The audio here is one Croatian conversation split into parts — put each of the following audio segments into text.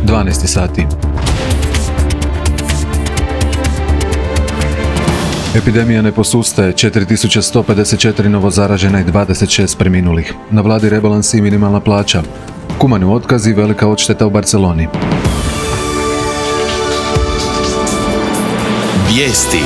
12 sati. Epidemija ne posustaje, 4154 novozaražena i 26 preminulih. Na vladi rebalans i minimalna plaća. Kumani otkaz i velika odšteta u Barceloni. Vijesti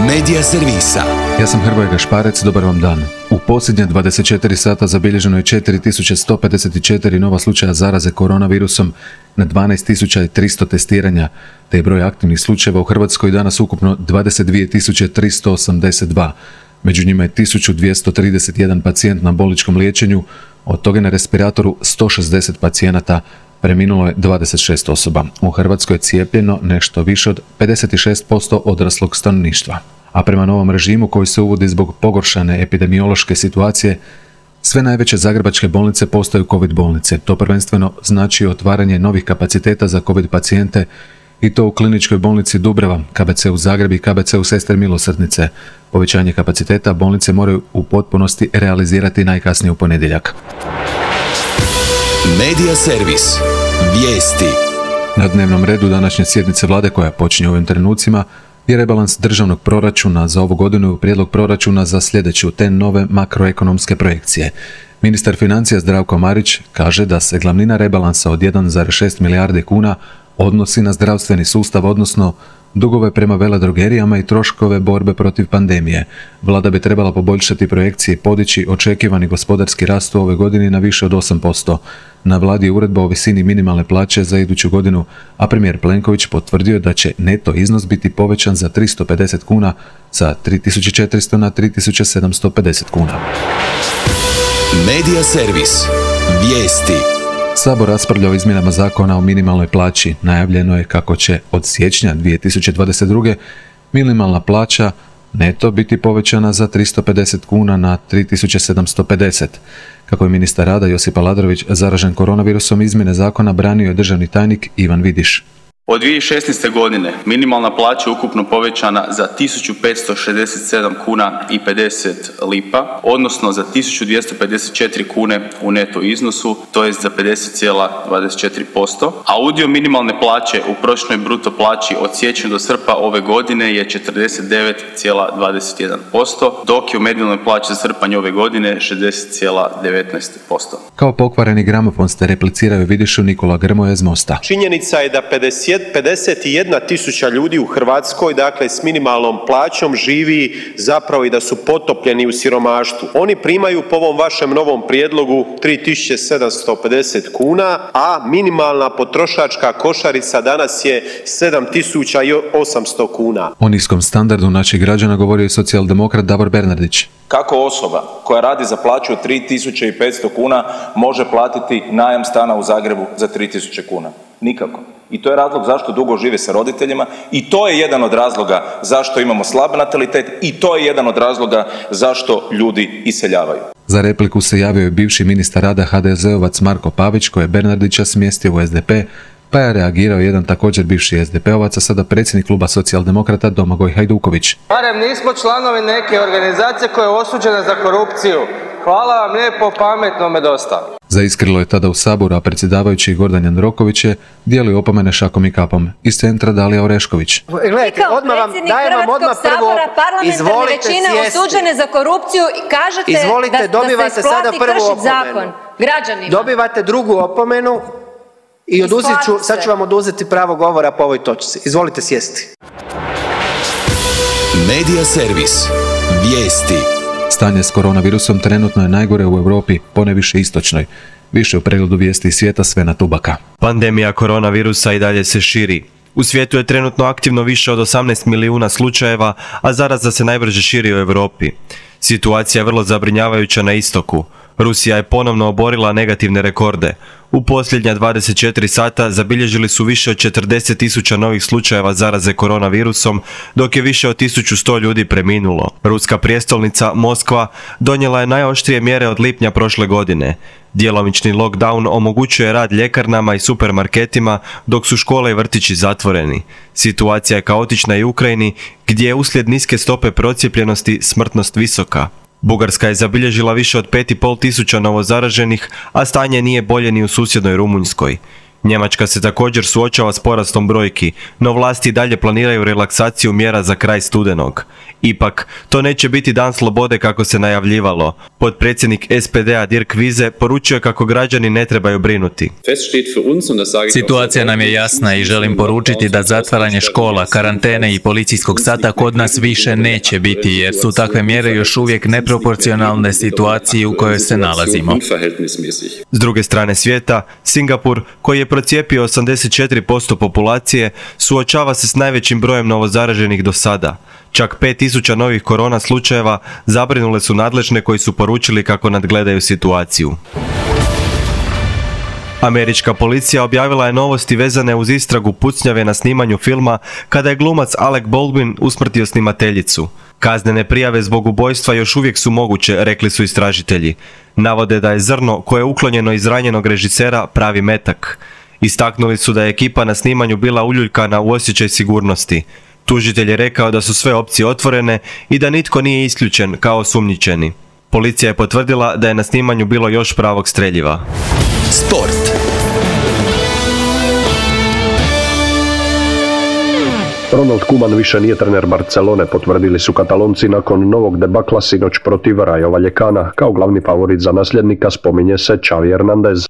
Medija servisa. Ja sam Hrvoje Gašparec, dobar vam dan. U posljednje 24 sata zabilježeno je 4154 nova slučaja zaraze koronavirusom na 12.300 testiranja, te je broj aktivnih slučajeva u Hrvatskoj danas ukupno 22.382. Među njima je 1231 pacijent na bolničkom liječenju, od toga na respiratoru 160 pacijenata, preminulo je 26 osoba. U Hrvatskoj je cijepljeno nešto više od 56% odraslog stanovništva. A prema novom režimu koji se uvodi zbog pogoršane epidemiološke situacije, sve najveće zagrebačke bolnice postaju COVID bolnice. To prvenstveno znači otvaranje novih kapaciteta za COVID pacijente i to u kliničkoj bolnici Dubrava, KBC-u Zagreb i KBC-u Sestre Milosrdnice. Povećanje kapaciteta bolnice moraju u potpunosti realizirati najkasnije u ponedjeljak. Medija servis. Vijesti. Na dnevnom redu današnje sjednice vlade koja počinje u ovim trenucima je rebalans državnog proračuna za ovu godinu i prijedlog proračuna za sljedeću te nove makroekonomske projekcije. Ministar financija Zdravko Marić kaže da se glavnina rebalansa od 1,6 milijardi kuna odnosi na zdravstveni sustav, odnosno dugove prema veledrogerijama i troškove borbe protiv pandemije. Vlada bi trebala poboljšati projekcije i podići očekivani gospodarski rast u ovoj godini na više od 8%. Na vladi je uredba o visini minimalne plaće za iduću godinu, a premijer Plenković potvrdio da će neto iznos biti povećan za 350 kuna sa 3400 na 3750 kuna. Medija servis. Vijesti. Sabor raspravlja o izmjenama zakona o minimalnoj plaći. Najavljeno je kako će od siječnja 2022. minimalna plaća neto biti povećana za 350 kuna na 3750. Kako je ministar rada Josip Aladrović zaražen koronavirusom, izmjene zakona branio je državni tajnik Ivan Vidiš. Od 2016. godine minimalna plaća je ukupno povećana za 1567 kuna i 50 lipa, odnosno za 1254 kune u neto iznosu, to jest za 50,24%, a udio minimalne plaće u prosječnoj bruto plaći od siječnja do srpnja ove godine je 49,21%, dok je u medijalnoj plaći za srpanj ove godine 60,19%. Kao pokvareni gramofon ste repliciraju Vidišu Nikola Grmoja iz Mosta. Činjenica je da 51.000 ljudi u Hrvatskoj, dakle s minimalnom plaćom, živi zapravo i da su potopljeni u siromaštvu. Oni primaju po ovom vašem novom prijedlogu 3.750 kuna, a minimalna potrošačka košarica danas je 7.800 kuna. O niskom standardu naših građana govorio i socijaldemokrat Davor Bernardić. Kako osoba koja radi za plaću od 3.500 kuna može platiti najam stana u Zagrebu za 3.000 kuna? Nikako. I to je razlog zašto dugo žive sa roditeljima i to je jedan od razloga zašto imamo slab natalitet i to je jedan od razloga zašto ljudi iseljavaju. Za repliku se javio i bivši ministar rada HDZ-ovac Marko Pavić, koji je Bernardića smjestio u SDP, pa je reagirao jedan također bivši SDP-ovac, a sada predsjednik kluba socijaldemokrata Domagoj Hajduković. Barem nismo članovi neke organizacije koja je osuđena za korupciju. Hvala vam lijepo, pametnome dosta. Zaiskrilo je tada u Saboru, a predsjedavajući Gordan Jandroković je dijelio opomene šakom i kapom. Iz centra Dalija Orešković. Gledajte, odmah vam dajem vam odmah prvo, izvolite sjesti. Osuđene za korupciju i kažete da se isplati kršiti zakon građanima. Dobivate drugu opomenu i sad ću vam oduzeti pravo govora po ovoj točci. Izvolite sjesti. Medija servis. Vijesti. Stanje s koronavirusom trenutno je najgore u Europi, poneviše istočnoj. Više u pregledu vijesti svijeta Svena Tubaka. Pandemija koronavirusa i dalje se širi. U svijetu je trenutno aktivno više od 18 milijuna slučajeva, a zaraza se najbrže širi u Europi. Situacija je vrlo zabrinjavajuća na istoku. Rusija je ponovno oborila negativne rekorde. U posljednja 24 sata zabilježili su više od 40.000 novih slučajeva zaraze koronavirusom, dok je više od 1100 ljudi preminulo. Ruska prijestolnica Moskva donijela je najoštrije mjere od lipnja prošle godine. Djelomični lockdown omogućuje rad ljekarnama i supermarketima, dok su škole i vrtići zatvoreni. Situacija je kaotična i u Ukrajini, gdje je uslijed niske stope procijepljenosti smrtnost visoka. Bugarska je zabilježila više od 5.500 novozaraženih, a stanje nije bolje ni u susjednoj Rumunjskoj. Njemačka se također suočava s porastom brojki, no vlasti dalje planiraju relaksaciju mjera za kraj studenog. Ipak, to neće biti dan slobode kako se najavljivalo. Potpredsjednik SPD-a Dirk Wiese poručio kako građani ne trebaju brinuti. Situacija nam je jasna i želim poručiti da zatvaranje škola, karantene i policijskog sata kod nas više neće biti, jer su takve mjere još uvijek neproporcionalne situaciji u kojoj se nalazimo. S druge strane svijeta, Singapur, koji je procijepio 84% populacije, suočava se s najvećim brojem novozaraženih do sada. Čak 5000 novih korona slučajeva zabrinule su nadležne koji su poručili kako nadgledaju situaciju. Američka policija objavila je novosti vezane uz istragu pucnjave na snimanju filma kada je glumac Alec Baldwin usmrtio snimateljicu. Kaznene prijave zbog ubojstva još uvijek su moguće, rekli su istražitelji. Navode da je zrno koje je uklonjeno iz ranjenog režisera pravi metak. Istaknuli su da je ekipa na snimanju bila uljuljkana u osjećaj sigurnosti. Tužitelj je rekao da su sve opcije otvorene i da nitko nije isključen kao osumnjičeni. Policija je potvrdila da je na snimanju bilo još pravog streljiva. Sport. Ronald Koeman više nije trener Barcelone, potvrdili su Katalonci nakon novog debakla sinoć protiv Rayo Vallecana. Kao glavni favorit za nasljednika spominje se Xavi Hernandez.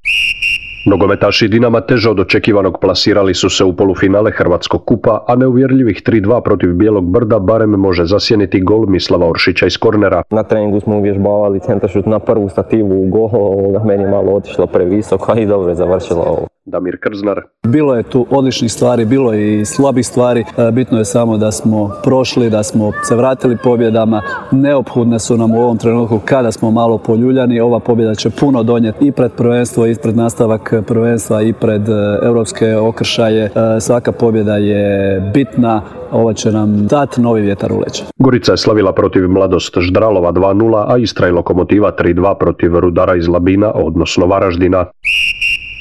Nogometaši Dinama teže od očekivanog plasirali su se u polufinale Hrvatskog kupa, a neuvjerljivih 3-2 protiv Bijelog Brda barem može zasjeniti gol Mislava Oršića iz kornera. Na treningu smo uvježbavali centaršut na prvu stativu u gol, meni je malo otišlo previsoko, a i dobro je završilo ovo. Damir Krznar. Bilo je tu odličnih stvari, bilo je i slabih stvari. Bitno je samo da smo prošli, da smo se vratili pobjedama. Neophodne su nam u ovom trenutku kada smo malo poljuljani. Ova pobjeda će puno donijeti i pred prvenstvo, i pred nastavak prvenstva, i pred europske okršaje. Svaka pobjeda je bitna. Ova će nam dati novi vjetar u leđa. Gorica je slavila protiv Mladost Ždralova 2-0, a Istra i Lokomotiva 3-2 protiv Rudara iz Labina, odnosno Varaždina.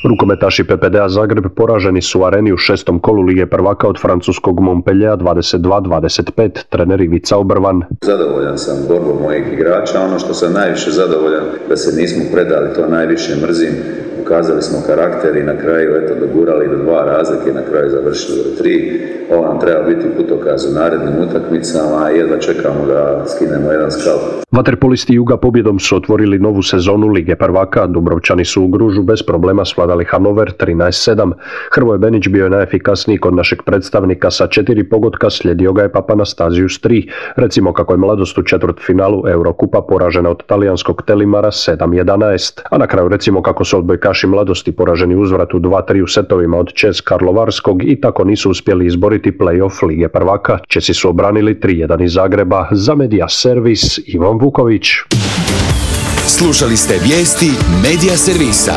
Rukometaši PPD-a Zagreb poraženi su u Areni u 6. kolu Lige prvaka od francuskog Montpelliera 22-25, trener Ivica Obrvan. Zadovoljan sam borbom mojih igrača, ono što sam najviše zadovoljan da se nismo predali, to najviše mrzim. Ukazali smo karakter i na kraju dogurali do 2 razlike, na kraju završili do 3. Ovo nam treba biti putokaz u narednim utakmicama i jedva čekamo da skinemo jedan skalp. Vaterpolisti Juga pobjedom su otvorili novu sezonu Lige prvaka. Dubrovčani su u Gružu bez problema svladali Hanover 13-7. Hrvoje Benić bio je najefikasniji kod našeg predstavnika sa 4 pogotka, slijedio ga je Papanastasius 3. Recimo kako je Mladost u četvrtfinalu Eurokupa poražena od talijanskog Telimara 7-11. A na kraju recimo kako su odbojkaši Mladosti poraženi uzvrat u 2-3 u setovima od ČEZ Karlovarskog i tako nisu uspjeli izboriti play-off Lige prvaka. Česi su obranili 3-1 iz Zagreba. Za Media Servis Ivan Vuković. Slušali ste vijesti Media Servisa.